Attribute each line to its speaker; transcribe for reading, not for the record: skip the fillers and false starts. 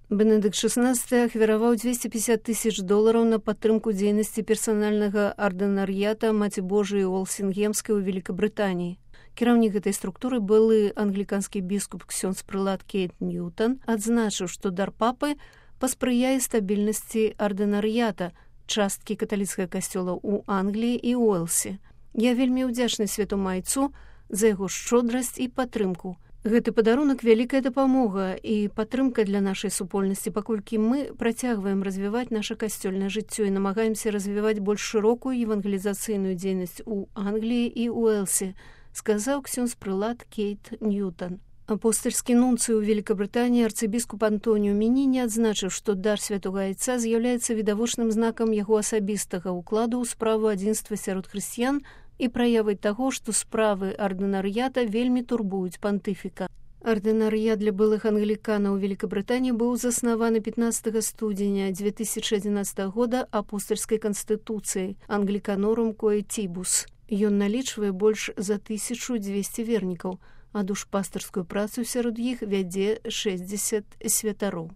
Speaker 1: Бенедыкт XVI ахвяраваў $250,000 на падтрымку дзейнасці персанальнага ардынар'ята Маці Божыі Уолсінгемскай у Великабрытаніі. Кіраўнік гэтай структуры былы англіканскі біскуп ксёндз прылад Кейт Ньютон адзначыў, што дар папы паспрыяе стабільнасці ардынар'ята, часткі каталіцкага касцёла ў Англіі і Уэлсе. Я вельмі ўдзячны святому айцу за яго шчодрасць і падтрымку. Гэты падарунак вялікая дапамога і падтрымка для нашай супольнасці, паколькі мы працягваем развіваць наша касцёльнае жыццё і намагаемся развіваць больш шырокую евангелізацыйную дзейнасць у Англіі і Уэлсе, сказаў ксёндз прылад Кейт Ньютон. Апостальскі нунцый у Великабрытаніі арцыбіскуп Антоніо Мініні адзначыў, што дар святога айца з'яўляецца відавочным знакам яго асабістага ўкладу ў справу адзінства сярод хрысціян і праявай таго, што справы ардынар'ята вельмі турбуюць пантыфіка. Ардынар'ят для былых англіканаў у Великабрытаніі быў заснаваны 15 студзеня 2011 года апостальскай канстытуцыяй Англіканорум Коэтібус. Ён налічвае больш за 1200 вернікаў, а душпастарскую працу сярод іх вядзе 60 святароў.